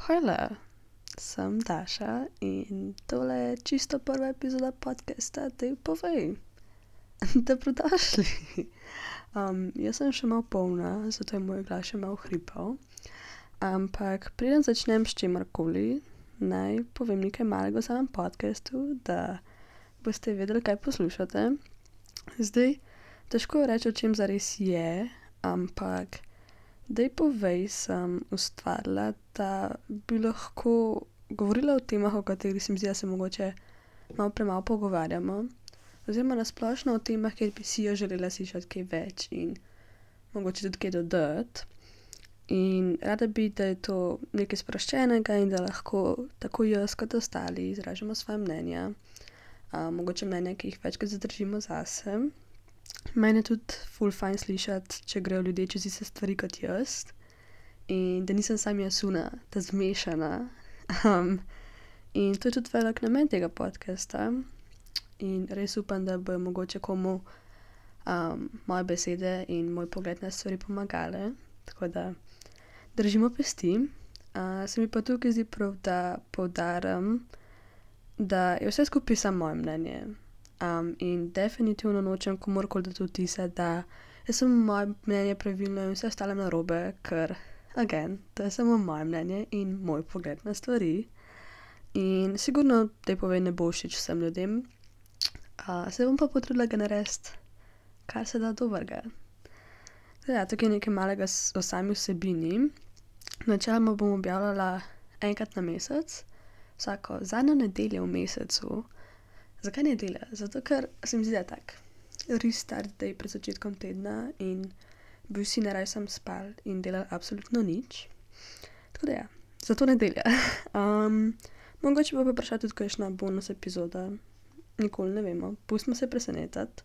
Hvala, sem Daša in tole je čisto prva epizoda podcasta Tej povej. Dobrodošli. Jaz sem še malo polna, zato je moj glas še malo hripav. Ampak preden začnem s čimerkoli, naj povem nekaj malega o samem podcastu, da boste vedeli, kaj poslušate. Zdaj, težko je reči, o čem zares je, ampak Dej povej sem ustvarila, da bi lahko govorila o temah, o katerih se mi zdi, da se mogoče malo premalo pogovarjamo, oziroma nasplošno o temah, kjer bi si jo želela slišati kaj več in mogoče tudi kaj dodati. In rada bi, da je to nekaj sproščenega in da lahko tako jaz kot ostali izražamo svoje mnenja, mogoče mnenja, ki jih večkrat zadržimo zase. Meni je tudi ful fajn slišati, če grejo ljudje čez iste stvari kot jaz in da nisem sam jasuna, ta zmešana. In to je tudi velik namen tega podcasta in res upam, da bojo mogoče komu moje besede in moj pogled na stvari pomagale, tako da držimo pesti. Se mi pa tukaj zdi prav, da poudarim, da je vse skupaj samo moje mnenje. In definitivno nočem komurkoli dati vtisa, da je samo moje mnenje pravilno in vse ostalo narobe, ker, again, to je samo moje mnenje in moj pogled na stvari. In sigurno Tej povej ne bo všeč vsem ljudem, se bom pa potrudila ga narediti, kar se da dobrega. Ja, tukaj je nekaj malega o sami vsebini. Načeloma bom objavljala enkrat na mesec, vsako zadnjo nedeljo v mesecu. Zakaj nedelja? Zato, ker se mi zdi, da je tak restart day pred začetkom tedna in bi vsi naraj sam spali in delali absolutno nič. Tako da ja, zato nedelja. Mogoče bo pa prišla tudi kakšna bonus epizoda. Nikoli ne vemo, pustimo se presenetiti.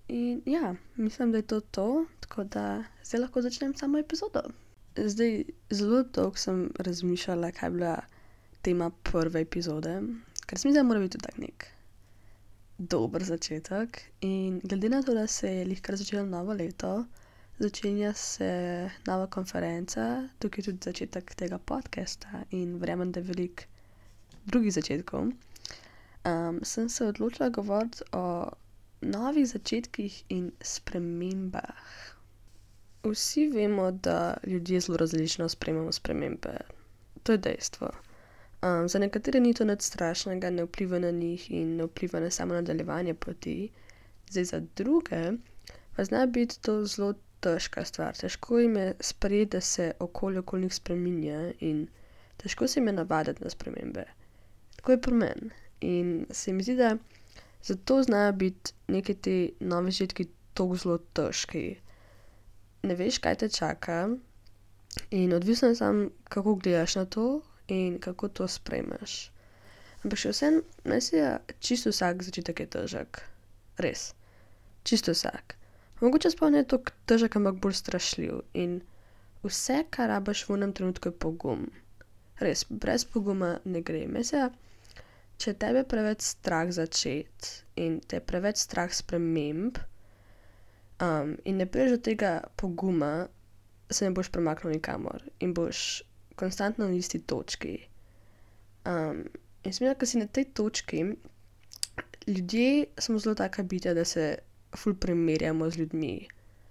In ja, mislim, da je to, tako da zdaj lahko začnem samo epizodo. Zdaj, zelo dolgo sem razmišljala, kaj bi bila tema prve epizode, ker se mi zdi, da mora biti tudi tak nek dober začetek. In glede na to, da se je lihkar začelo novo leto, začenja se nova konferenca, tukaj je tudi začetek tega podcasta in verjamem, da je veliko drugih začetkov. Sem se odločila govoriti o novih začetkih in spremembah. Vsi vemo, da ljudje zelo različno sprejemamo spremembe. To je dejstvo. Za nekatere ni to nič strašnega, ne vpliva na njih in ne vpliva na samo nadaljevanje poti. Zdaj za druge pa zna biti to zelo težka stvar. Težko jim je sprejeti, da se okolje okoli njih spreminja in težko se jim je navaditi na spremembe. Tako je pri meni. In se mi zdi, da zato znajo biti neki ti novi začetki tako zelo težki. Ne veš, kaj te čaka in odvisno je samo, kako gledaš na to in kako to sprejmeš. Ampak še vsem, naj se čisto vsak začetek je težek. Res. Čisto vsak. Mogoče sploh ne toliko težek, ampak bolj strašljiv. In vse, kar rabiš v enem trenutku, je pogum. Res, brez poguma ne gre. Mislim, če tebe preveč strah začeti in te preveč strah sprememb in ne prideš do tega poguma, se ne boš premaknil nikamor in boš konstantno na isti točki. In se mi zdi, ko si na tej točki, ljudje smo zelo taka bitja, da se ful primerjamo z ljudmi.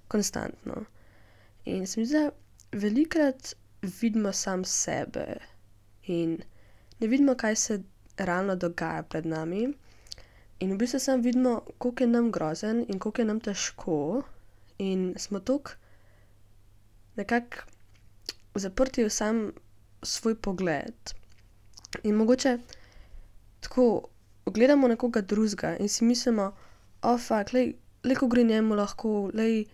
Konstantno. In se mi zdi, da velikokrat vidimo sam sebe in ne vidimo, kaj se realno dogaja pred nami. In v bistvu samo vidimo, koliko je nam grozen in koliko je nam težko in smo toliko nekako zaprti v sam svoj pogled. In mogoče tako gledamo nekoga drugega in si mislimo, fuck, lej, ko gre njemu lahko, lej,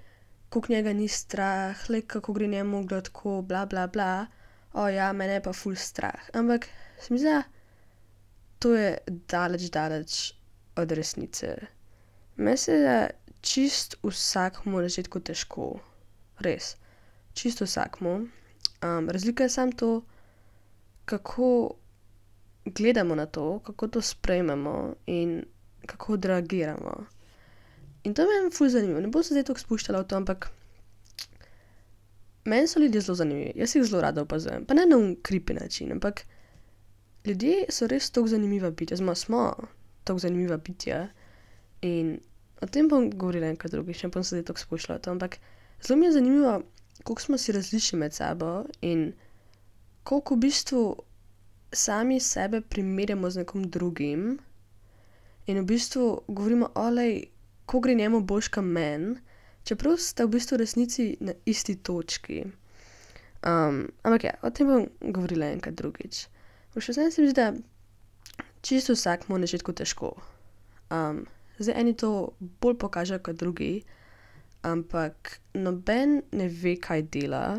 koliko njega ni strah, lej, kako gre njemu gladko, bla, bla, bla. Ja, mene je pa ful strah. Ampak se mi zdi, da to je daleč od resnice. Meni se zdi, da čist vsakmu na začetku težko. Res. Čisto vsakmu. Razlika je samo to, kako gledamo na to, kako to sprejmemo in kako odreagiramo. In to me je ful zanimivo. Ne bom se zdaj toliko spuščala v to, ampak meni so ljudje zelo zanimivi, jaz jih zelo rada opazujem, pa ne na creepy način, ampak ljudje so res tako zanimiva bitja, oziroma smo tako zanimiva bitja in o tem bom govorila enkrat drugič, ne bom se zdaj tako spuščala v to, ampak zelo mi je zanimivo, koliko smo si različni med sabo in koliko v bistvu sami sebe primerjamo z nekom drugim in v bistvu govorimo, olej, ko gre njemu boljš kot meni, čeprav sta v bistvu v resnici na isti točki. Ampak ja, o tem bom govorila enkrat drugič. Še vseeno se mi zdi, da čisto vsakemu na začetku težko. Zdaj eni to bolj pokažejo kot drugi, ampak noben ne ve, kaj dela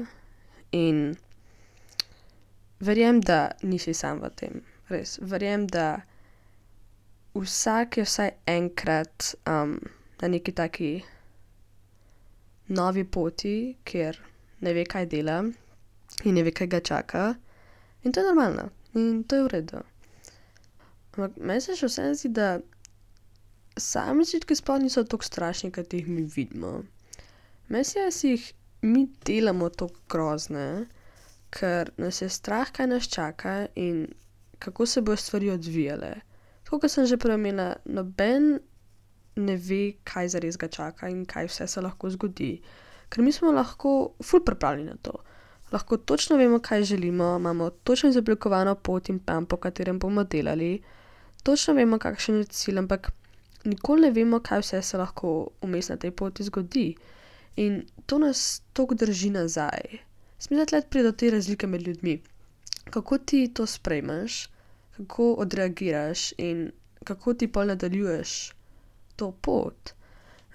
in verjamem, da nisi sam v tem. Res, verjamem, da vsak je vsaj enkrat na neki taki novi poti, kjer ne ve, kaj dela in ne ve, kaj ga čaka. In to je normalno. In to je v redu. Ampak meni se še vseeno zdi, da sami začetki sploh niso tako strašni, kot jih mi vidimo. Meni se, da si jih mi delamo tako grozne, ker nas je strah, kaj nas čaka in kako se bojo stvari odvijale. Tako kot sem že prej omenila, noben ne ve, kaj zares ga čaka in kaj vse se lahko zgodi. Ker mi smo lahko ful pripravljeni na to. Lahko točno vemo, kaj želimo, imamo točno izoblikovano pot in plan, po katerem bomo delali, točno vemo, kakšen je cilj, ampak nikoli ne vemo, kaj vse se lahko vmes na tej poti zgodi. In to nas toliko drži nazaj. Mislim, da tle pride do te razlike med ljudmi. Kako ti to sprejmeš, kako odreagiraš in kako ti pol nadaljuješ to pot.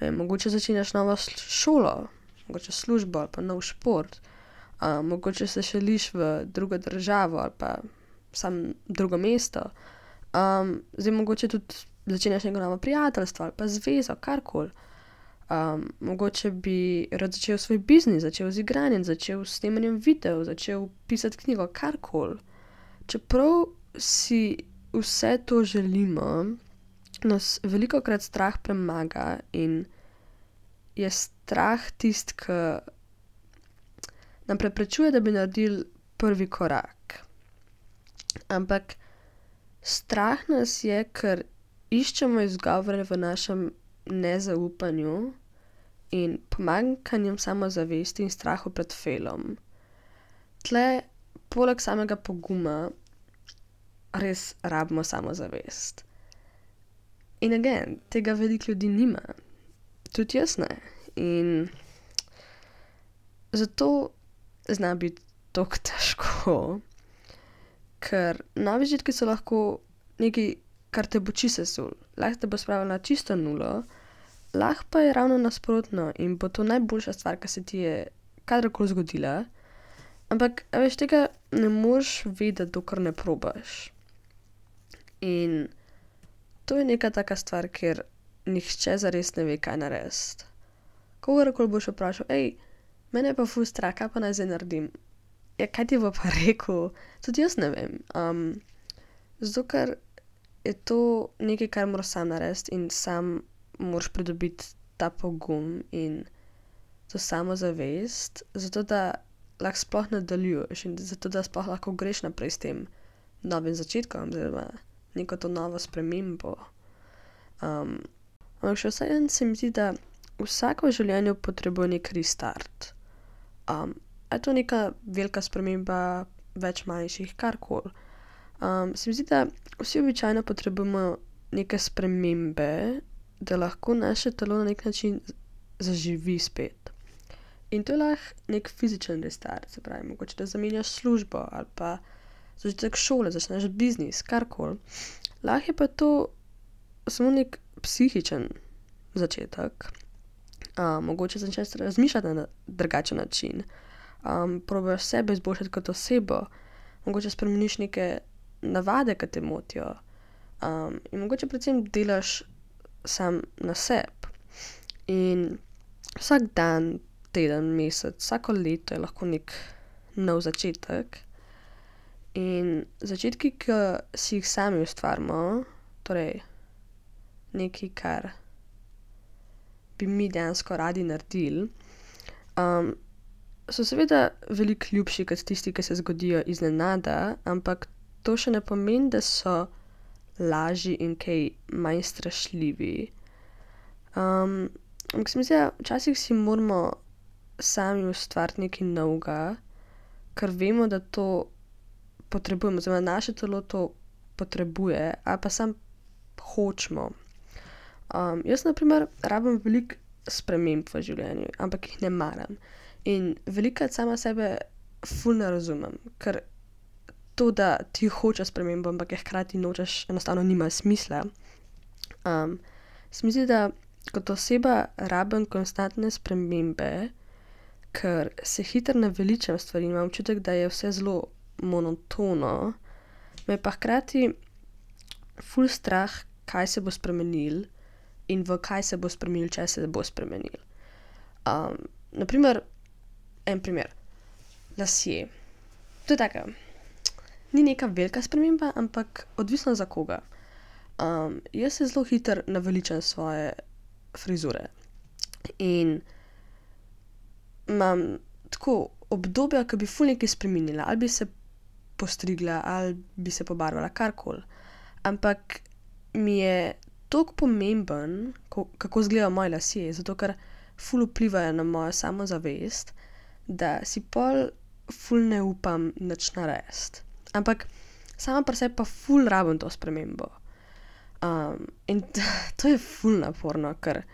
Mogoče začenjaš novo šolo, mogoče službo ali pa nov šport, mogoče se šeliš v drugo državo ali pa samo drugo mesto. Zdaj mogoče tudi začenjaš neko novo prijateljstvo ali pa zvezo, karkoli. Mogoče bi rad začel svoj biznis, začel z igranjem, začel s snemanjem videov, začel pisati knjigo, karkoli. Čeprav si vse to želimo, nas velikokrat strah premaga in je strah tisti, ki nam preprečuje, da bi naredili prvi korak. Ampak strah nas je, ker iščemo izgovore v našem nezaupanju in pomanjkanjem samozavesti in strahu pred failom. Tle, poleg samega poguma, res rabimo samozavest. In again, tega veliko ljudi nima. Tudi jaz ne. In zato zna biti tako težko, ker novi začetki so lahko nekaj, kar te bo čisto sesul. Lahko te bo spravil na čisto nulo, lahko pa je ravno nasprotno in bo to najboljša stvar, ki se ti je kadarkoli zgodila. Ampak, a veš, tega ne moreš vedeti, dokler ne probaš. In to je neka taka stvar, kjer nihče zares ne ve, kaj narediti. Kogarkoli boš vprašal, mene je pa ful strah, kaj pa naj zdaj naredim? Ja, kaj ti bo pa rekel? Tudi jaz ne vem. Zato, ker je to nekaj, kar moraš sam narediti in sam moraš pridobiti ta pogum in to samozavest, zato da lahko sploh nadaljuješ in zato da sploh lahko greš naprej s tem novim začetkom, oziroma neko to novo spremembo. Ampak še vseeno se mi zdi, da vsako v življenju potrebuje nek restart. Je to neka velika sprememba, več manjših, karkoli. Se mi zdi, da vsi običajno potrebujemo neke spremembe, da lahko naše telo na nek način zaživi spet. In to je lahko nek fizičen restart, se pravi, mogoče da zamenjaš službo ali pa začetek šole, začneš biznis, karkoli. Lahko je pa to samo nek psihičen začetek. Mogoče začneš razmišljati na drugačen način. Probaš sebe izboljšati kot osebo. Mogoče spremeniš neke navade, ki te motijo. In mogoče predvsem delaš sam na sebi. In vsak dan, teden, mesec, vsako leto je lahko nek nov začetek. In začetki, ki si jih sami ustvarimo, torej nekaj, kar bi mi dejansko radi naredili, so seveda veliko ljubši kot tisti, ki se zgodijo iznenada, ampak to še ne pomeni, da so lažji in kaj manj strašljivi. Ampak se mi zdi, da včasih si moramo sami ustvariti nekaj novega, ker vemo, da to potrebujemo, oziroma naše telo to potrebuje, ali pa sam hočemo. Jaz na primer rabim veliko sprememb v življenju, ampak jih ne maram. In velikokrat sama sebe ful ne razumem, ker to, da ti hočeš spremembo, ampak je hkrati nočeš, enostavno nima smisla. Se mi zdi, da kot oseba rabim konstantne spremembe, ker se hitro naveličam stvari in imam občutek, da je vse zelo monotono, me pa hkrati ful strah, kaj se bo spremenilo in v kaj se bo spremenilo, če se bo spremenilo. Naprimer, en primer, lasje. To je taka, ni neka velika sprememba, ampak odvisno za koga. Jaz se zelo hitro naveličam svoje frizure in imam tako obdobja, ko bi ful nekaj spremenila, ali bi se postrigla, ali bi se pobarvala, karkoli. Ampak mi je toliko pomemben, kako izgledajo moji lasje, zato ker ful vplivajo na mojo samozavest, da si pol ful ne upam nič narediti. Ampak sama pri sebi pa ful rabim to spremembo. In to je ful naporno, ker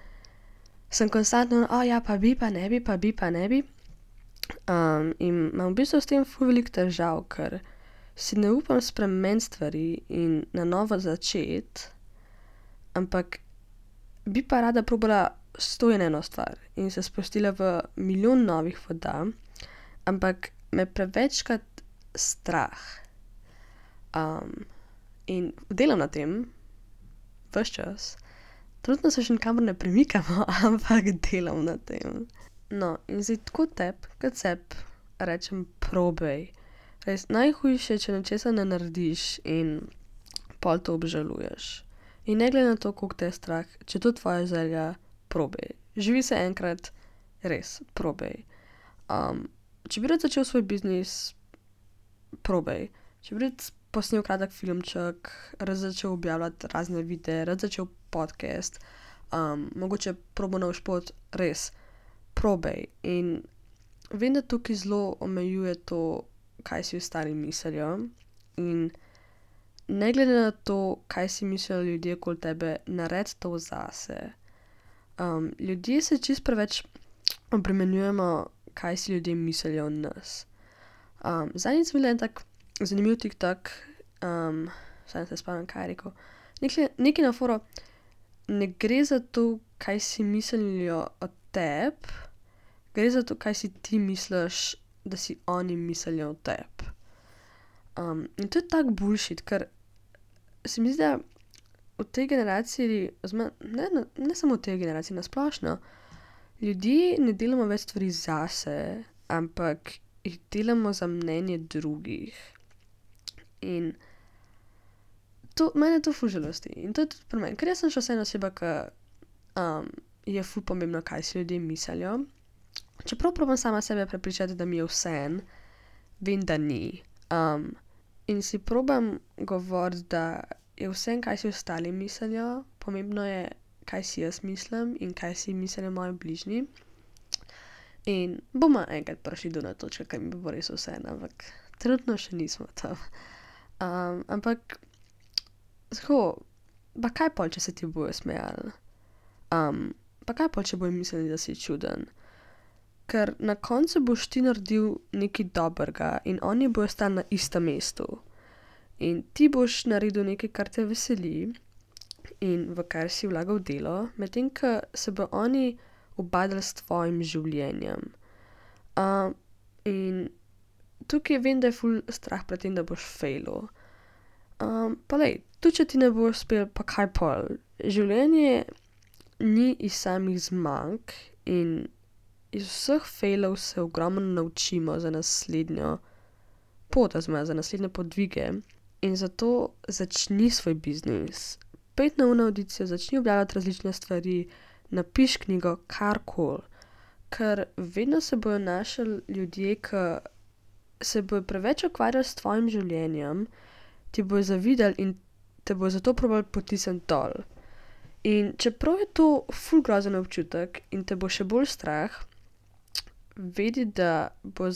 sem konstantno, ja, pa bi, pa ne bi, pa bi, pa ne bi. In imam v bistvu s tem ful veliko težav, ker si ne upam spremeniti stvari in na novo začeti, ampak bi pa rada probala 101 stvar in se spustila v milijon novih voda, ampak me prevečkrat strah. In delam na tem, ves čas. Trenutno se še nikamor ne premikamo, ampak delam na tem. No, in zdaj tako kot sebi rečem, probaj. Res, najhujše, če nečesa ne narediš in pol to obžaluješ. In ne glede na to, koliko te je strah, če to tvoja želja, probaj. Živi se enkrat, res, probaj. Če bi rad začel svoj biznis, probaj. Če bi rad posnel kratek filmček, rad začel objavljati razne videe, rad začel podcast, mogoče probal nov šport, res, probaj. In vem, da tukaj zelo omejuje to, kaj si ostali mislijo, in ne glede na to, kaj si mislijo ljudje okoli tebe, naredi to zase. Ljudje se čisto preveč obremenjujemo, kaj si ljudje mislijo o nas. Zadnjič sem videla en tak zanimiv TikTok, saj se spomnim, kaj je rekel. Nekaj na foro, ne gre za to, kaj si mislijo o tebi, gre za to, kaj si ti misliš, da si oni mislijo o tebi. In to je tak bullshit, ker se mi zdi, da v tej generaciji, ne samo v tej generaciji, na splošno, ljudje ne delamo več stvari zase, ampak jih delamo za mnenje drugih. In mene to ful žalosti. In to je tudi pri meni, ker jaz sem še vseeno oseba, ki je ful pomembno, kaj si ljudje mislijo. Čeprav probam sama sebe prepričati, da mi je vseeno, vem, da ni. In si probam govoriti, da je vseeno, kaj si ostali mislijo, pomembno je, kaj si jaz mislim in kaj si mislijo moji bližnji. In bomo enkrat prišli do na točko, ker mi bo res vseeno, ampak trenutno še nismo tam. Ampak tako, pa kaj pol, če se ti bojo smejali? Pa kaj pol, če bojo mislili, da si čuden? Ker na koncu boš ti naredil nekaj dobrega in oni bojo stali na istem mestu. In ti boš naredil nekaj, kar te veseli in v kar si vlagal delo, medtem ko se bo oni ubadali s tvojim življenjem. In tukaj vem, da je ful strah pred tem, da boš failal. Pa lej, tudi če ti ne bo uspel, pa kaj pol? Življenje ni iz samih zmag in iz vseh failov se ogromno naučimo za naslednjo pot, oziroma za naslednje podvige. In zato začni svoj biznis. Pojdi na avdicijo, začni objavljati različne stvari, napiši knjigo, karkoli. ker vedno se bojo našli ljudje, ki se bojo preveč ukvarjali s tvojim življenjem, ti bojo zavidali in te bojo zato probali potisniti dol. In čeprav je to ful grozen občutek in te bo še bolj strah, vedi, da bo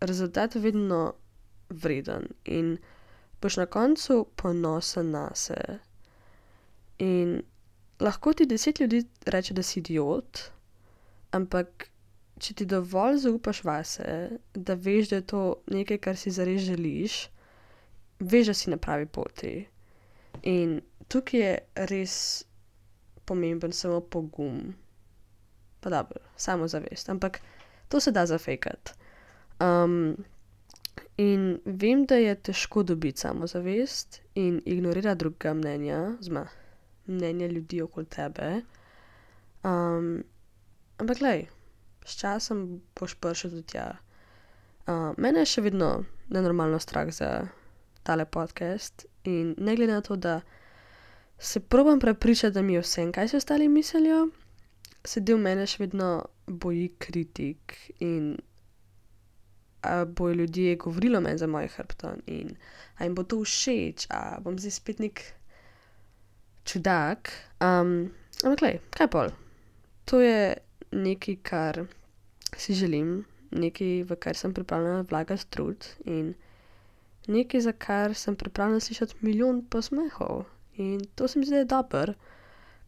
rezultat vedno vreden in boš na koncu ponosen nase. In lahko ti 10 ljudi reče, da si idiot, ampak če ti dovolj zaupaš vase, da veš, da je to nekaj, kar si zares želiš, veš, da si na pravi poti. In tukaj je res pomemben samo pogum, pa dobro, samozavest, ampak to se da zafejkati. In vem, da je težko dobiti samozavest in ignorirati drugega mnenja, mnenja ljudi okoli tebe. Ampak glej, s časom boš prišel do tja. Mene je še vedno nenormalno strah za tale podcast in ne glede na to, da se probam prepričati, da mi je vsem, kaj si ostali mislijo, se del mene še vedno boji kritik in bojo ljudje govorili o meni za mojim hrbtom in a jim bo to všeč, a bom zdaj spet nek čudak. Ampak glej, kaj pol? To je nekaj, kar si želim, nekaj, v kar sem pripravljena vlagati trud in nekaj, za kar sem pripravljena slišati milijon posmehov. In to se mi zdi dobro,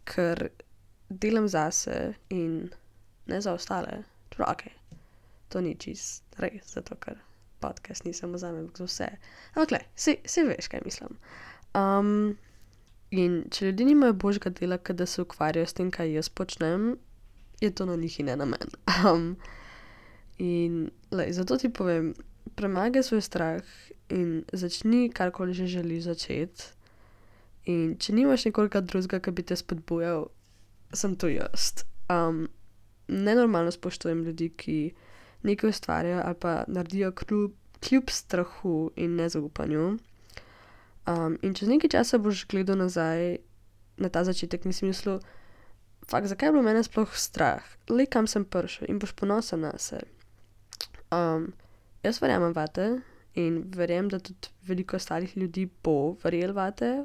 ker delam zase in ne za ostale. Čeprav, okej, to ni čist res, zato ker podcast ni samo zame, ampak za vse. Ampak glej, saj veš, kaj mislim. In če ljudje nimajo božjega dela, kot da se ukvarjajo s tem, kaj jaz počnem, je to na njih in ne na meni. In lej, zato ti povem, premagaj svoj strah in začni karkoli že želiš začeti. In če nimaš nekoga drugega, ki bi te spodbujal, sem to jaz. Nenormalno spoštujem ljudi, ki nekaj ustvarjajo ali pa naredijo kljub strahu in nezaupanju. In čez nekaj časa boš gledal nazaj na ta začetek in si mislil, fakt, zakaj je bilo mene sploh strah? Lej, kam sem prišel in boš ponosen nase. Jaz verjamem vate in verjamem, da tudi veliko ostalih ljudi bo verjel vate.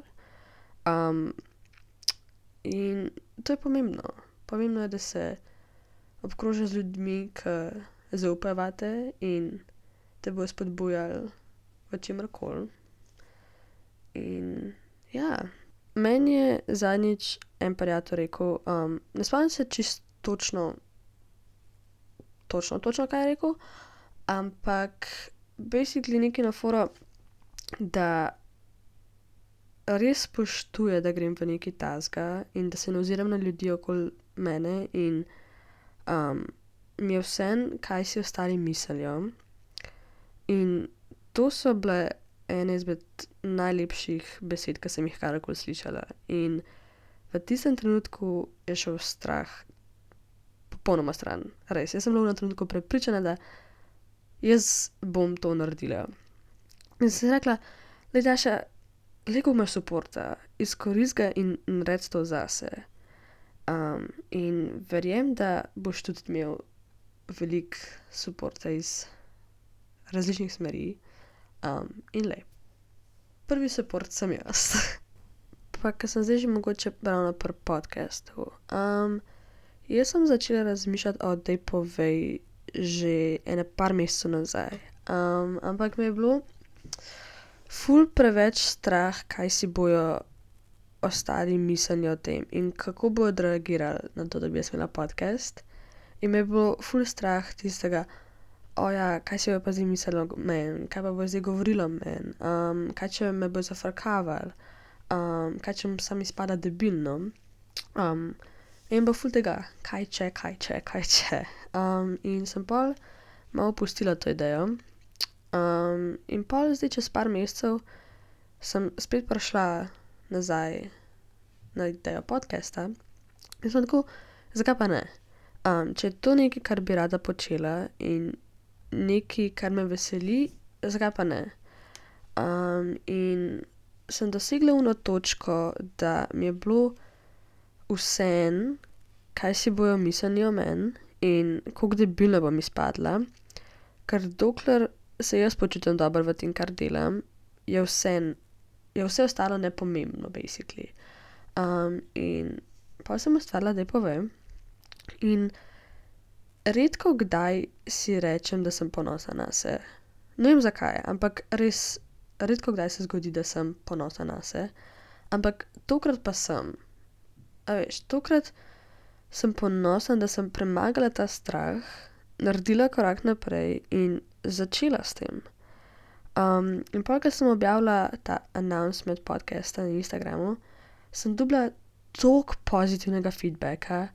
In to je pomembno. Pomembno je, da se obkrožiš z ljudmi, ki zaupajo vate in te bojo spodbujali v čemerkoli. In ja, meni je zadnjič en prijatelj rekel, ne spomnim se čisto točno, kaj je rekel, ampak basically nekaj na foro, da res spoštuje, da grem v nekaj takega in da se ne oziram na ljudi okoli mene in mi je vseeno, kaj si ostali mislijo. In to so bile ene izmed najlepših besed, ki sem jih karkoli slišala. In v tistem trenutku je šel strah popolnoma stran. Res, jaz sem bila v trenutku prepričana, da jaz bom to naredila. In sem si rekla, lej Daša, lego imaš suporta, izkoristi ga in naredi to zase. In verjem, da boš tudi imel veliko suporta iz različnih smeri. In lej, prvi suport sem jaz. Pa, ker sem zdaj že mogoče ravno pri podcastu. Jaz sem začela razmišljati o Dej povej že ene par mesecev nazaj. Ampak me je bilo ful preveč strah, kaj si bojo ostali mislili o tem in kako bojo odreagirali na to, da bi jaz imela podcast. In me je bilo ful strah tistega, kaj si bojo pa zdaj mislili o meni, kaj pa bojo zdaj govorili o meni, kaj če me bojo zafrkavali, kaj če bom sam izpada debilno. In bo ful tega, kaj če. In sem pol malo pustila to idejo. In pol zdaj čez par mesecev sem spet prišla nazaj na idejo podcasta in sem tako, zakaj pa ne? Če je to nekaj, kar bi rada počela in nekaj, kar me veseli, zakaj pa ne? In sem dosegla ono točko, da mi je bilo vseeno, kaj si bojo mislili o meni in koliko debilna bom izpadla, ker dokler se jaz počutim dobro v tem, kar delam, je vse ostalo nepomembno, basically. In pa sem ustvarila, da povem. In redko kdaj si rečem, da sem ponosna nase. Ne vem zakaj, ampak res redko kdaj se zgodi, da sem ponosna nase. Ampak tokrat pa sem. A veš, tokrat sem ponosna, da sem premagala ta strah, naredila korak naprej in začela s tem. In pa, ko sem objavila ta announcement podcasta na Instagramu, sem dobila toliko pozitivnega feedbacka,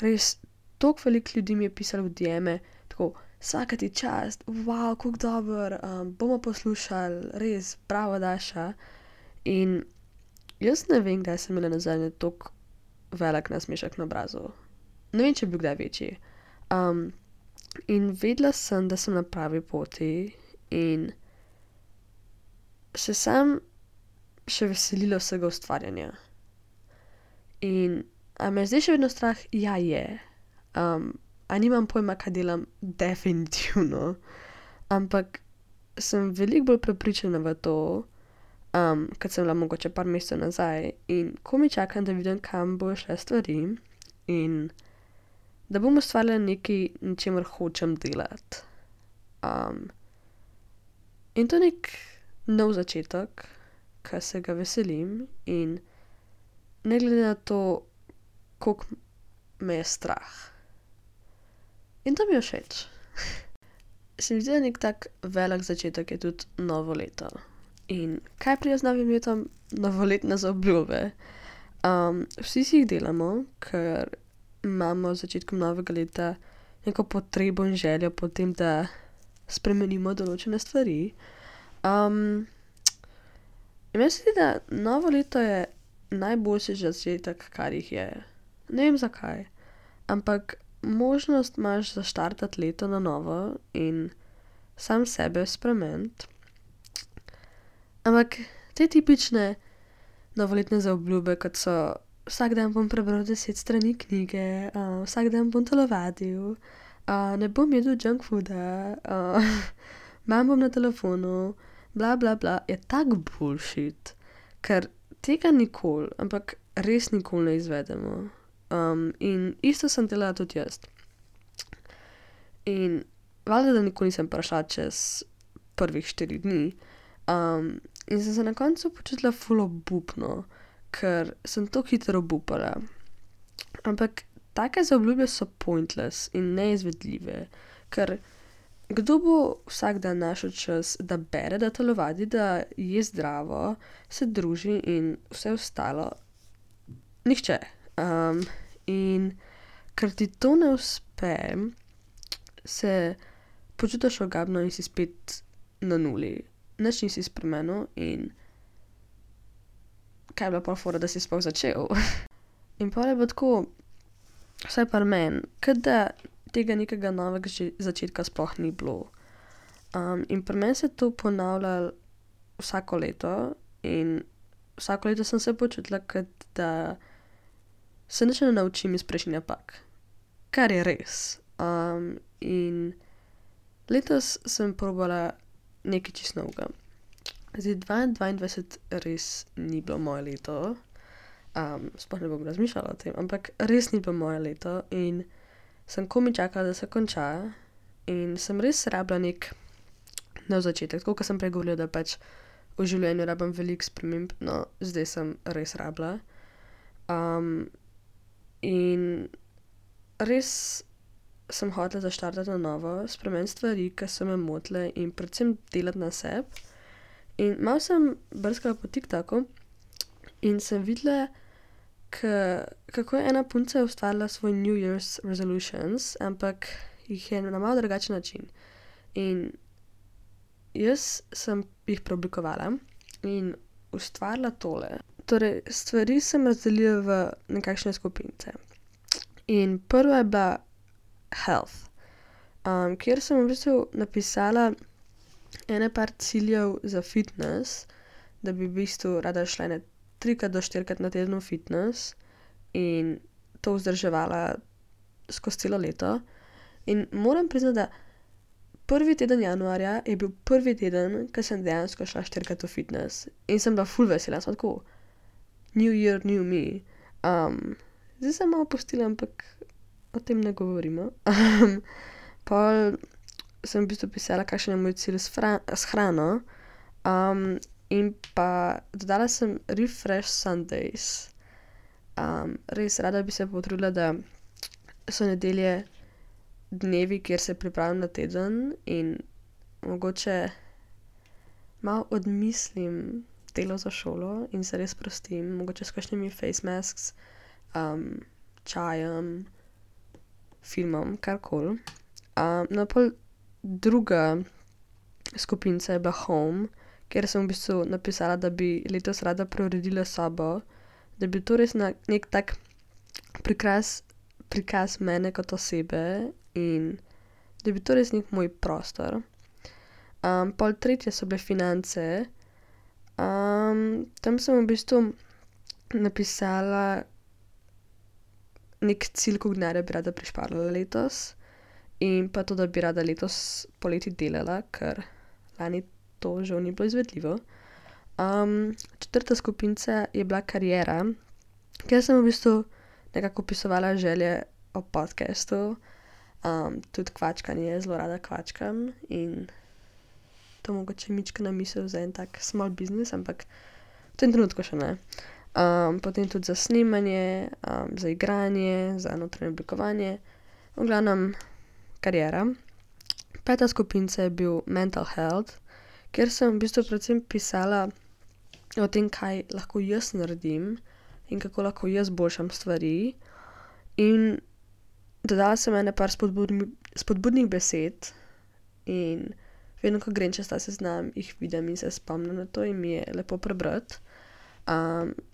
res toliko veliko ljudi mi je pisalo v DM-e, tako, vsaka ti čast, wow, kako dober, bomo poslušali, res, bravo Daša. In jaz ne vem, kdaj sem imela nazadnje toliko velik nasmešek na obrazu. Ne vem, če bi bil kdaj večji. In vedela sem, da sem na pravi poti in se sam še veselila vsega ustvarjanja. In a me zdaj še vedno strah? Ja, je. A nimam pojma, kaj delam? Definitivno. Ampak sem veliko bolj prepričana v to, kot sem bila mogoče par mesecev nazaj in komaj čakam, da vidim, kam bojo šle stvari in da bom ustvarila nekaj, na čemer hočem delati. In to je nek nov začetek, ki se ga veselim in ne glede na to, koliko me je strah. In to mi je všeč. Se mi zdi, da nek tak velik začetek je tudi novo leto. In kaj pride z novim letom? Novoletne zaobljube. Vsi si jih delamo, ker imamo z začetkom novega leta neko potrebo in željo po tem, da spremenimo določene stvari. In meni se zdi, da novo leto je najboljši začetek, kar jih je. Ne vem zakaj, ampak možnost imaš zaštartati leto na novo in sam sebe spremeniti. Ampak te tipične novoletne zaobljube, kot so vsak dan bom prebral 10 strani knjige, vsak dan bom telovadil, ne bom jedel junk fooda, imam bom na telefonu, bla bla bla, je tak bullshit, ker tega nikoli, ampak res nikoli ne izvedemo. In isto sem delala tudi jaz. In valjda, da nikoli nisem prišla čez prvih 4 dni. In sem se na koncu počutila ful obupno, ker sem tako hitro obupala. Ampak take zaobljube so pointless in neizvedljive, ker kdo bo vsak dan našel čas, da bere, da telovadi, da je zdravo, se druži in vse ostalo? Nihče. In ker ti to ne uspe, se počutiš ogabno in si spet na nuli. Nič nisi spremenil in kaj je bila pol fora, da si sploh začel? In pol je bilo tako, vsaj pri meni, kot da tega nekega novega začetka sploh ni bilo. In pri meni se je to ponavljalo vsako leto in vsako leto sem se počutila, kot da se nič ne naučim iz prejšnjih napak. Kar je res. In letos sem probala nekaj čisto novega. Zdaj, 2022 res ni bilo moje leto. Sploh ne bom razmišljala o tem, ampak res ni bilo moje leto in sem komaj čakala, da se konča in sem res rabila nek nov začetek. Tako, kot sem prej govorila, da pač v življenju rabim veliko sprememb, no, zdaj sem res rabila. In res sem hotela zaštartati na novo, spremeniti stvari, ki so me motile in predvsem delati na sebi. In malo sem brskala po TikToku in sem videla, kako je ena punca ustvarila svoj New Year's resolutions, ampak jih je na malo drugačen način. In jaz sem jih preoblikovala in ustvarila tole. Torej, stvari sem razdelila v nekakšne skupince. In prva je bila health, kjer sem v bistvu napisala ene par ciljev za fitness, da bi v bistvu rada šla 3 do 4 na teden v fitness in to vzdrževala skozi celo leto. In moram priznati, da prvi teden januarja je bil prvi teden, ko sem dejansko šla 4-krat v fitness. In sem bila ful vesela, sem tako, new year, new me. Zdaj sem malo pustila, ampak o tem ne govorimo. Pol sem v bistvu pisala, kakšen je moj cilj s hrano. In pa dodala sem refresh Sundays. Res rada bi se potrudila, da so nedelje dnevi, kjer se pripravim na teden in mogoče malo odmislim delo za šolo in se res prostim, mogoče s kakšnimi face masks, čajem, filmom, karkoli. No, pol druga skupinca je bila home, kjer sem v bistvu napisala, da bi letos rada preuredila sobo, da bi to res nek tak prikaz mene kot osebe in da bi to res nek moj prostor. Pol tretje so bile finance. Tam sem v bistvu napisala nek cilj, koliko denarja bi rada prišparala letos in pa to, da bi rada letos poleti delala, ker lani to žal ni bilo izvedljivo. Četrta skupinca je bila kariera, kjer sem v bistvu nekako opisovala želje o podcastu, tudi kvačkanje, zelo rada kvačkam in to mogoče mičkena misel za en tak small business, ampak v tem trenutku še ne. Potem tudi za snemanje, za igranje, za notranje oblikovanje, v glavnem kariera. Peta skupinca je bil mental health, kjer sem v bistvu predvsem pisala o tem, kaj lahko jaz naredim in kako lahko jaz boljšam stvari. In dodala sem ene par spodbudnih besed in vedno, ko grem čez ta seznam, jih vidim in se spomnim na to in mi je lepo prebrati.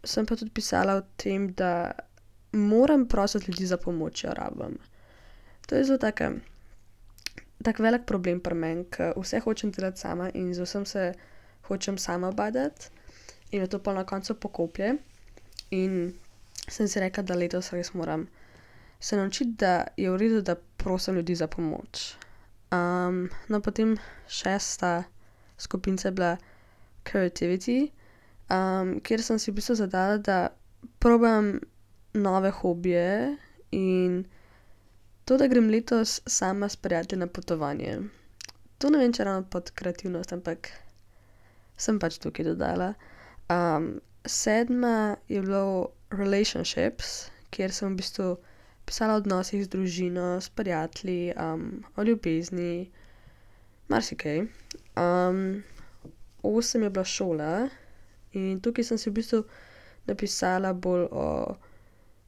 Sem pa tudi pisala o tem, da moram prositi ljudi za pomoč, če jo rabim. To je zelo tak velik problem pri meni, ker vse hočem delati sama in z vsem se hočem sama badati in me to pol na koncu pokoplje. In sem si rekla, da letos res moram se naučiti, da je v redu, da prosim ljudi za pomoč. No, potem šesta skupinca je bila creativity, kjer sem si v bistvu zadala, da probam nove hobije in to, da grem letos sama s prijatelji na potovanje. To ne vem, če ravno pod kreativnost, ampak sem pač tukaj dodala. Sedma je bilo relationships, kjer sem v bistvu pisala o odnosih z družino, s prijatelji, o ljubezni, marsikaj. 8 je bila šola in tukaj sem si v bistvu napisala bolj o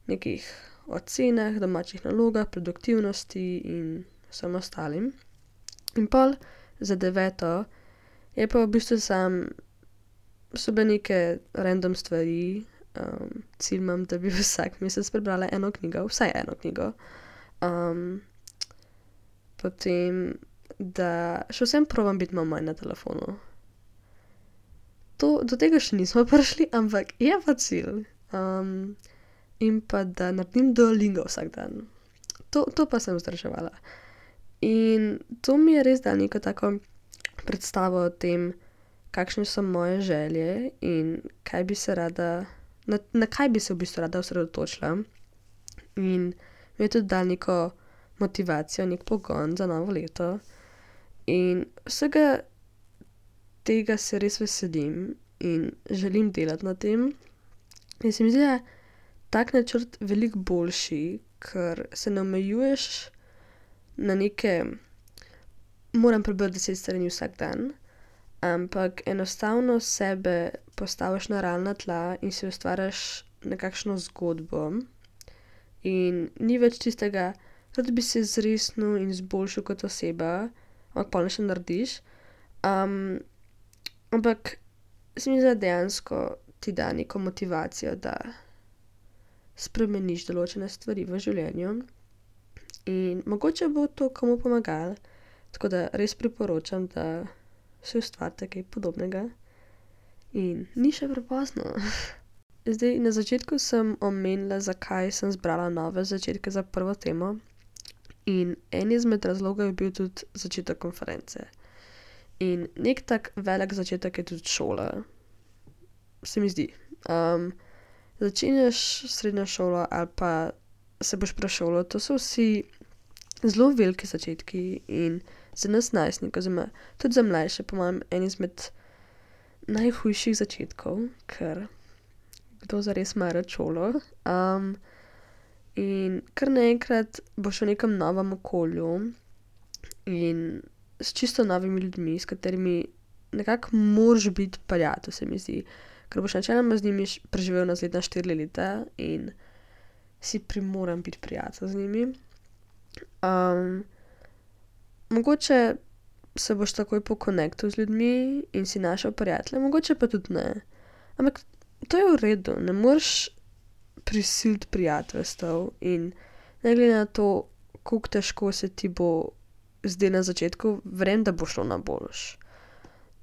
nekih ocenah, domačih nalogah, produktivnosti in vsem ostalim. In pol za 9 je pa v bistvu so bile neke random stvari, cilj imam, da bi vsak mesec prebrala eno knjigo, vsaj eno knjigo. Potem, da še vsem probam biti malo manj na telefonu. Do tega še nismo prišli, ampak je pa cilj. In pa da naredim Duolingo vsak dan. To pa sem vzdrževala. In to mi je res dalo neko tako predstavo o tem, kakšne so moje želje in kaj bi se rada, na kaj bi se v bistvu rada osredotočila. In mi je tudi dalo neko motivacijo, nek pogon za novo leto. In vsega tega se res veselim in želim delati na tem. In se mi zdi, da je tak načrt veliko boljši, ker se ne omejuješ na neke, moram prebrati 10 strani vsak dan, ampak enostavno sebe postaviš na realna tla in si ustvariš nekakšno zgodbo. In ni več tistega, da bi se zresnil in izboljšal kot oseba, ampak pol še narediš. Ampak se mi zdi, da dejansko ti da neko motivacijo, da spremeniš določene stvari v življenju. In mogoče bo to komu pomagalo, tako da res priporočam, da si ustvarite kaj podobnega. In ni še prepozno. Zdaj, na začetku sem omenila, zakaj sem zbrala nove začetke za prvo temo. In en izmed razlogov je bil tudi začetek konference. In nek tak velik začetek je tudi šola, se mi zdi. Začenjaš srednjo šolo ali pa se boš prešolal, to so vsi zelo veliki začetki in za nas najstnike, oziroma tudi za mlajše, po mojem, en izmed najhujših začetkov, ker kdo zares ima rad šolo. In kar naenkrat boš v nekem novem okolju in s čisto novimi ljudmi, s katerimi nekako moraš biti prijatelj, se mi zdi. Ker boš načeloma z njimi preživel naslednja 4 leta in si primoran biti prijatelj z njimi. Mogoče se boš takoj pokonektal z ljudmi in si našel prijatelje, mogoče pa tudi ne. Ampak to je v redu, ne moreš prisiliti prijateljstev in ne glede na to, koliko težko se ti bo zdaj na začetku, verjamem, da bo šlo na boljš.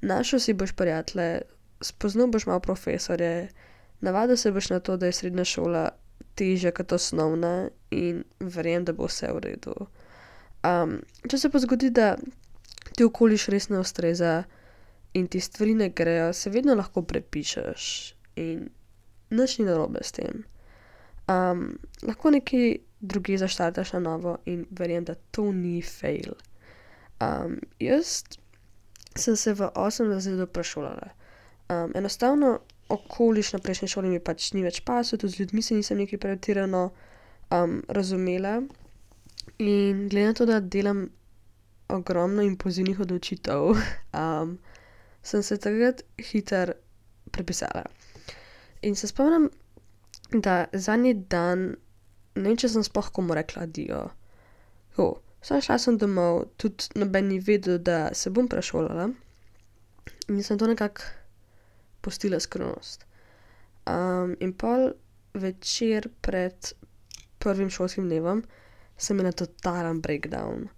Našel si boš prijatelje, spoznal boš malo profesorje, navadil se boš na to, da je srednja šola težja kot osnovna in verjamem, da bo vse v redu. Če se pa zgodi, da ti okoliš res ne ustreza in ti stvari ne grejo, se vedno lahko prepišeš in nič ni narobe s tem. Lahko nekaj drugje zaštartaš na novo in verjamem, da to ni fail. Jaz sem se v 8. razredu prešolala. Enostavno okoliš na prejšnji šoli mi pač ni več pasal, tudi z ljudmi se nisem nekaj pretirano razumela. In glede na to, da delam ogromno impulzivnih odločitev, sem se takrat hitro prepisala. In se spomnim, da zadnji dan, ne vem, če sem sploh komu rekla adijo. Šla sem domov, tudi noben ni vedel, da se bom prešolala. In sem to nekako pustila skrivnost. In pol večer pred prvim šolskim dnevom sem imela totalen breakdown.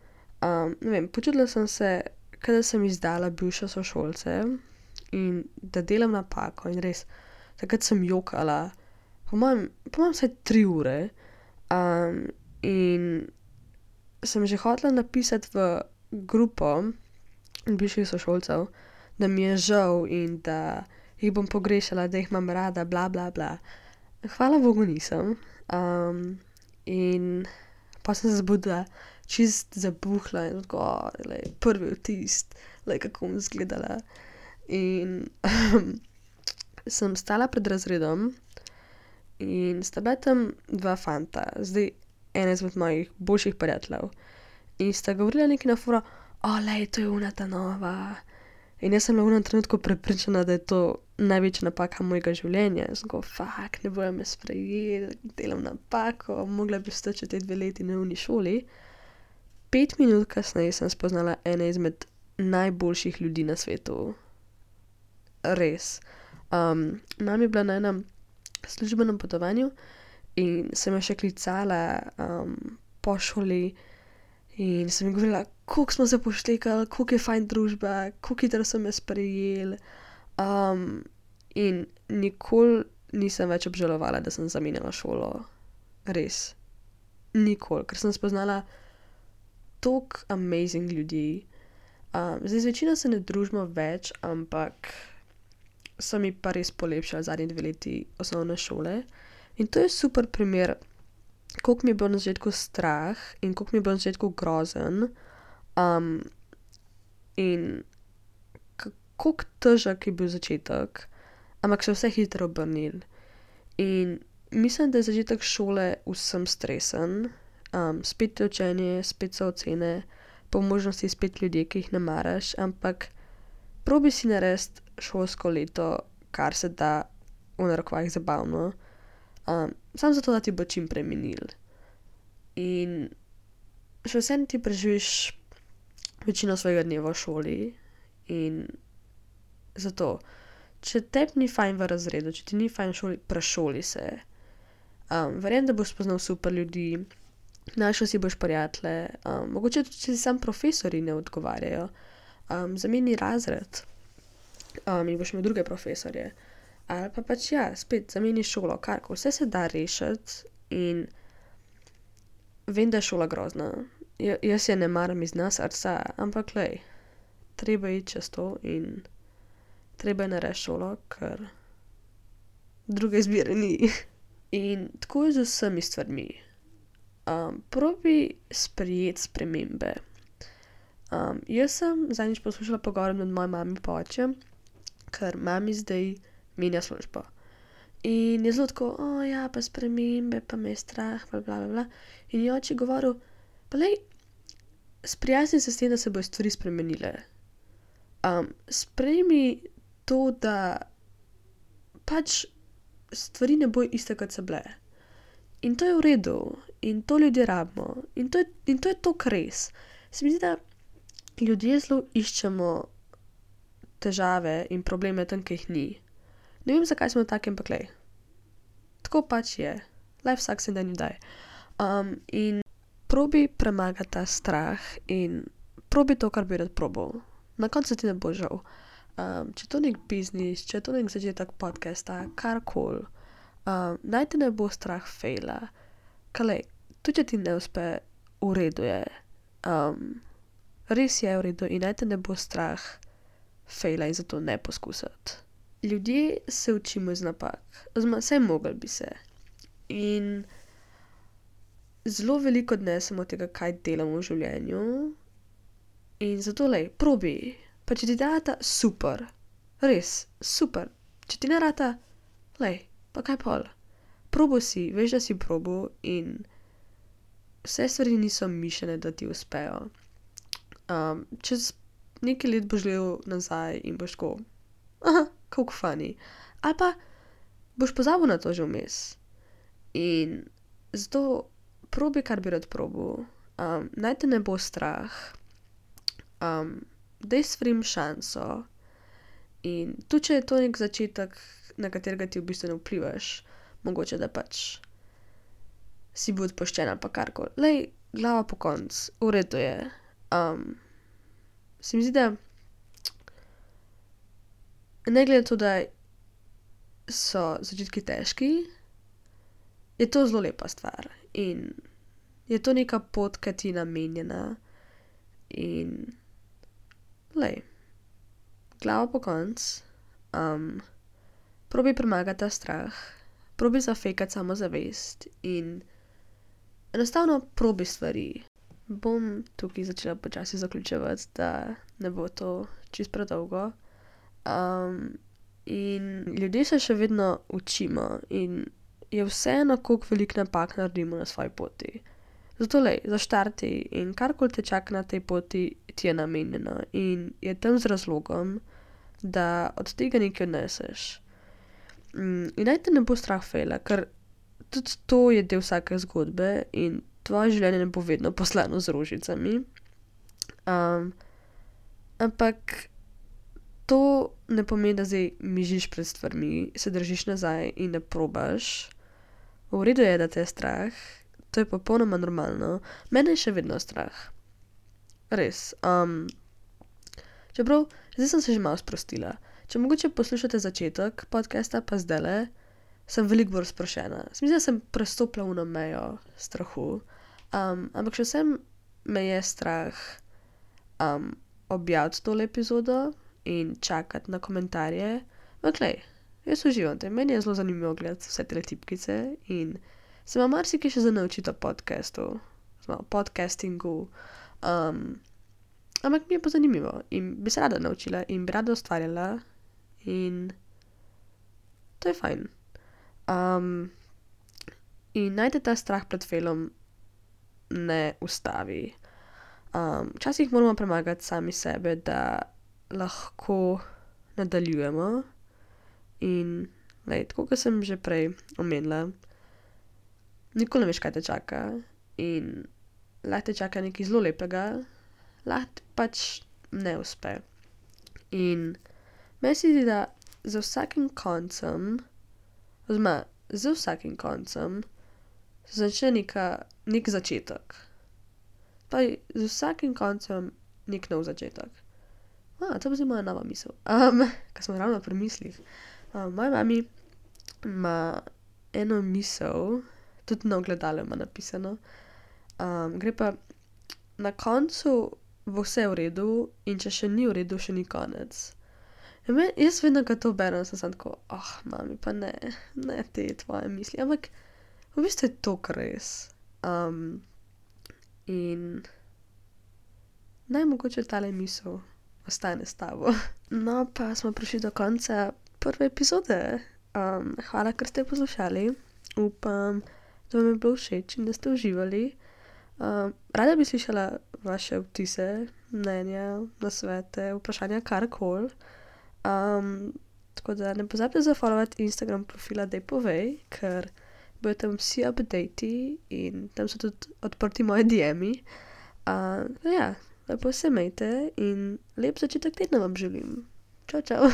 Ne vem, počutila sem se, kot da sem izdala bivše sošolce in da delam napako in res, takrat sem jokala, po mojem vsaj 3 ure. In sem že hotela napisati v grupo bivših sošolcev, da mi je žal in da jih bom pogrešala, da jih imam rada, bla, bla, bla. Hvala Bogu nisem. In pa sem se zbudila čist zabuhla in tako, prvi vtis, kako bom izgledala. In sem stala pred razredom in sta bila tam 2 fanta, zdaj ena izmed mojih boljših prijateljev. In sta govorila nekaj na foro, to je ona ta nova. In jaz sem bila v enem trenutku prepričana, da je to največja napaka mojega življenja. Sem go, ne bojo me sprejeli, delam napako, mogla bi ostati še te 2 leti na uni šoli. 5 minut kasneje sem spoznala ene izmed najboljših ljudi na svetu. Res. Nam je bila na enem službenem potovanju in sem jo še klicala po šoli in sem ji govorila, koliko smo se poštekali, koliko je fajn družba, koliko hitro so me sprejeli. In nikoli nisem več obžalovala, da sem zamenjala šolo. Res. Nikoli, ker sem spoznala toliko amazing ljudi. Zdaj z večino se ne družimo več, ampak so mi pa res polepšali zadnji 2 leti osnovne šole. In to je super primer, koliko mi je bilo na začetku strah in koliko mi je bilo na začetku grozen. In koliko težek je bil začetek, ampak se vse hitro obrnil. In mislim, da je začetek šole vsem stresen. Spet je učenje, spet so ocene, po možnosti spet ljudje, ki jih ne maraš, ampak probi si narediti šolsko leto, kar se da v narekovajih zabavno, samo zato, da ti bo čim prej minil. In še vseeno ti preživiš večino svojega dneva v šoli in zato, če tebi ni fajn v razredu, če ti ni fajn v šoli, prešoli se. Verjamem, da boš spoznal super ljudi, našel si boš prijatelje, mogoče tudi, če si sam profesorji ne odgovarjajo, zameni razred in boš imel druge profesorje. Ali pa pač spet zameni šolo, karkoli, vse se da rešiti in vem, da je šola grozna jaz je ne maram iz dna srca, ampak glej, treba iti čez to in treba je narediti šolo, ker druge izbire ni. In tako je z vsemi stvarmi. Probi sprejeti spremembe. Jaz sem zadnjič poslušala pogovor med mojo mami pa očem, ker mami zdaj menja službo. In je zelo tako, ja, pa spremembe, pa me je strah, bla, bla, bla, bla. In je oče govoril, pa lej, sprijazni se s tem, da se bojo stvari spremenile. Sprejmi to, da pač stvari ne bojo iste, kot so bile. In to je v redu. In to ljudje rabimo. In to je toliko res. Se mi zdi, da ljudje zelo iščemo težave in probleme tam, ki jih ni. Ne vem, zakaj smo taki, ampak glej. Tako pač je. Life sucks and then you die. In probi premagati ta strah in probi to, kar bi rad probal. Na koncu ti ne bo žal. Če je to nek biznis, če je to nek začetek podcasta, karkoli, naj te ne bo strah fejla. Kalej, tudi če ti ne uspe, v redu je. Res je v redu in naj te ne bo strah fejla in zato ne poskusiti. Ljudje se učimo iz napak, oziroma saj mogli bi se. In zelo veliko odnesemo od tega, kaj delamo v življenju. In zato lej, probi. Pa če ti rata, super. Res, super. Če ti ne rata, lej, pa kaj pol. Probo si, veš, da si probo in vse stvari niso mišljene, da ti uspejo. Čez nekaj let boš gledal nazaj in boš tako, kako funny. Ali pa boš pozabil na to že vmes. In zato probi, kar bi rad probal. Naj te ne bo strah. Daj stvarim šanso. In tudi, če je to nek začetek, na katerega ti v bistvu ne vplivaš, mogoče, da pač si bil odpoščen ali pa karkoli. Lej, glava po koncu, v redu je. Se mi zdi, da ne glede to, da so začetki težki, je to zelo lepa stvar. In je to neka pot, ki ti je namenjena. In lej, glava po koncu, probi premagati ta strah, probi zafejkati samozavest in enostavno probi stvari. Bom tukaj začela počasi zaključevati, da ne bo to čisto predolgo. In ljudje se še vedno učimo in je vseeno, koliko veliko napak naredimo na svoji poti. Zato lej, zaštarti in karkoli te čaka na tej poti, ti je namenjeno in je tam z razlogom, da od tega nekaj odneseš. In naj te ne bo strah fejla, ker tudi to je del vsake zgodbe in tvoje življenje ne bo vedno poslano z rožicami. Ampak to ne pomeni, da zdaj mižiš pred stvarmi, se držiš nazaj in ne probaš. V redu je, da te je strah, to je popolnoma normalno. Mene je še vedno strah. Res. Čeprav, zdaj sem se že malo sprostila. Če mogoče poslušate začetek podcasta, pa zdajle, sem veliko bolj sproščena. Mislim, da sem prestopila ono mejo strahu. Ampak še vsem me je strah objaviti tole epizodo in čakati na komentarje. Ampak glej, jaz uživam te. Meni je zelo zanimivo gledati vse te tipkice in se ima marsikaj še za naučiti o podcastu, o podcastingu. Ampak mi je pa zanimivo in bi se rada naučila in bi rada ustvarjala in to je fajn. In naj te ta strah pred failom ne ustavi. Včasih moramo premagati sami sebe, da lahko nadaljujemo in lej, tako kot sem že prej omenila, nikoli ne veš, kaj te čaka in lahko te čaka nekaj zelo lepega, lahko pač ne uspe. In meni se zdi, da za vsakim koncem, oziroma z vsakim koncem, se začne nek začetek. Pa z vsakim koncem nek nov začetek. To bo zdaj moja nova misel. Ko smo ravno pri mislih. Moja mami ima eno misel, tudi na ogledalu ima napisano. Gre pa, na koncu bo vse v redu in če še ni v redu, še ni konec. Jaz vedno, ko to berem, sem samo tako, mami, pa ne te tvoje misli, ampak v bistvu je to res. In naj mogoče tale misel ostane s tabo. No, pa smo prišli do konca prve epizode. Hvala, ker ste poslušali. Upam, da vam je bilo všeč in da ste uživali. Rada bi slišala vaše vtise, mnenja, nasvete, vprašanja, karkoli. Tako da ne pozabite zafollowati Instagram profila Dej povej, ker bodo tam vsi updatei in tam so tudi odprti moji DM-i. Ja, lepo se imejte in lep začetek tedna vam želim. Čau, čau.